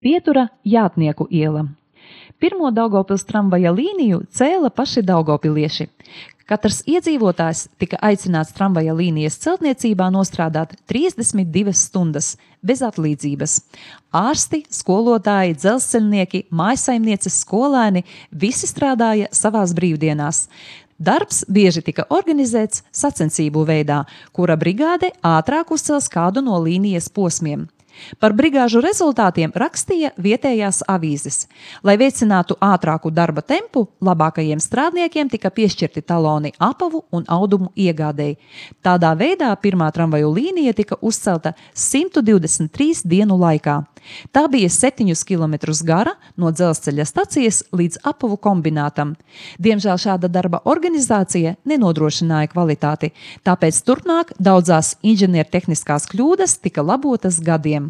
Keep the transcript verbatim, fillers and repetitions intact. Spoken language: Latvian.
Pietura Jātnieku iela. Pirmo Daugavpils tramvaja līniju cēla paši daugavpilieši. Katrs iedzīvotājs tika aicināts tramvaja līnijas celtniecībā nostrādāt trīsdesmit divas stundas bez atlīdzības. Ārsti, skolotāji, dzelzceļnieki, mājsaimnieces, skolēni visi strādāja savās brīvdienās. Darbs bieži tika organizēts sacensību veidā, kura brigāde ātrāk uzcels kādu no līnijas posmiem. Par brigāžu rezultātiem rakstīja vietējās avīzes. Lai veicinātu ātrāku darba tempu, labākajiem strādniekiem tika piešķirti taloni apavu un audumu iegādēji. Tādā veidā pirmā tramvaju līnija tika uzcelta simt divdesmit trīs dienu laikā. Tā bija septiņus kilometrus gara no dzelzceļa stacijas līdz apavu kombinātam. Diemžēl šāda darba organizācija nenodrošināja kvalitāti, tāpēc turpmāk daudzās inženiertehniskās kļūdas tika labotas gadiem.